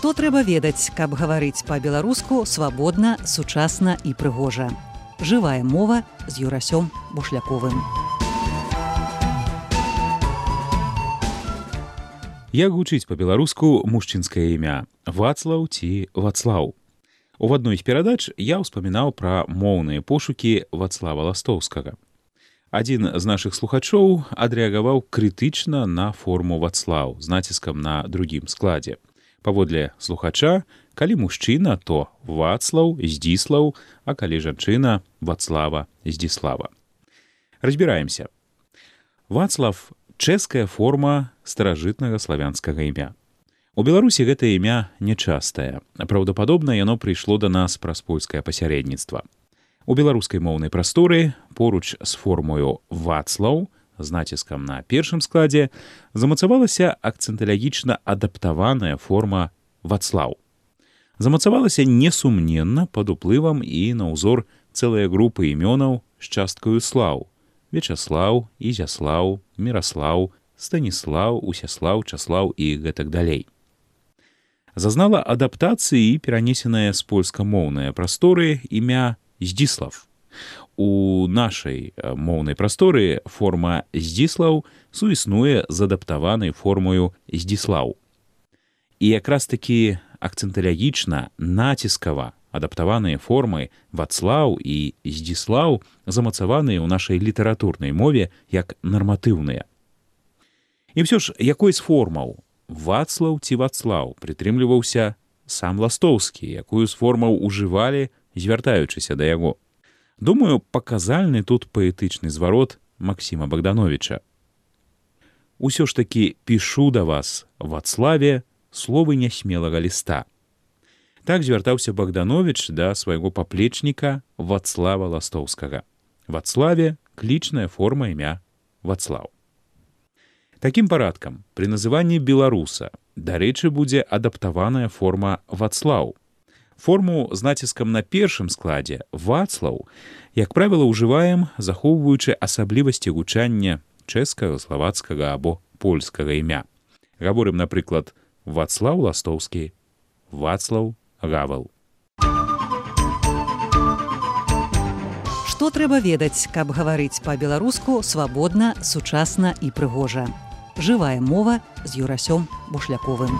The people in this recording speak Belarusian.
Што трэба ведаць, каб гаварыць па-беларуску свабодна, сучасна і прыгожа. Жывая мова з Юрасём Бушляковым. Як гучыць па-беларуску мужчынскае імя Вацлаў ці Вацлаў? У адной з перадач я ўспамінаў пра моўныя пошукі Вацлава Ластоўскага. Адзін з нашых слухачоў адрэагаваў крытычна на форму Вацлаў з націскам на другім складзе. Паводле слухача, калі мужчына, то Вацлаў, Здзіслаў, а калі жанчына, Вацлава, Здзіслава. Разбіраемся. Вацлав – чэшская форма старажытнага славянскага імя. У Беларусі гэтае імя нячастае. Праўдападобна, яно прыйшло да нас праз польскае пасярэдніцтва. У беларускай моўнай прасторы поруч з формою Вацлаў з націскам на першым складзе замацавалася акцэнталагічна адаптаваная форма Вацлаў. Замацавалася несумненна пад уплывам і на ўзор цэлая група імёнаў з часткаю слаў: Вячаслаў, Ізяслаў, Міраслаў, Станіслаў, Усяслаў, Часлаў і гэтак далей. Зазнала адаптацыі і перанесенае з польскамоўнай прасторы імя Здзіслав. У нашай моўнай прасторы форма Здзіслаў суіснуе з адаптаванай формою Здзіслаў. І якраз такі акцэнталагічна, націскава адаптаваныя формы Вацлаў і Здзіслаў замацаваныя ў нашай літаратурнай мове як нарматыўныя. І ўсё ж, якой з формаў Вацлаў ці Вацлаў прытрымліваўся сам Ластоўскі, якую з формаў ужывалі, звяртаючыся да яго? Думаю, паказальны тут паэтычны зварот Максіма Богдановича. «Усё ж такі пішу да вас, Вацлаве, словы нясмелага ліста». Так звяртаўся Богданович да свайго паплечніка Вацлава Ластоўскага. Вацлаве – клічная форма імя Вацлаў. Такім парадкам, пры называнні беларуса, дарэчы, будзе адаптаваная форма Вацлаў. Форму з націскам на першым складзе Вацлаў, як правіла, ўжываем, захоўваючы асаблівасці гучання чэшскага, славацкага або польскага імя. Гаворым, напрыклад, Вацлаў Ластоўскі, Вацлаў Гавал. Што трэба ведаць, каб гаварыць па-беларуску свабодна, сучасна і прыгожа. Жывая мова з Юрасём Бушляковым.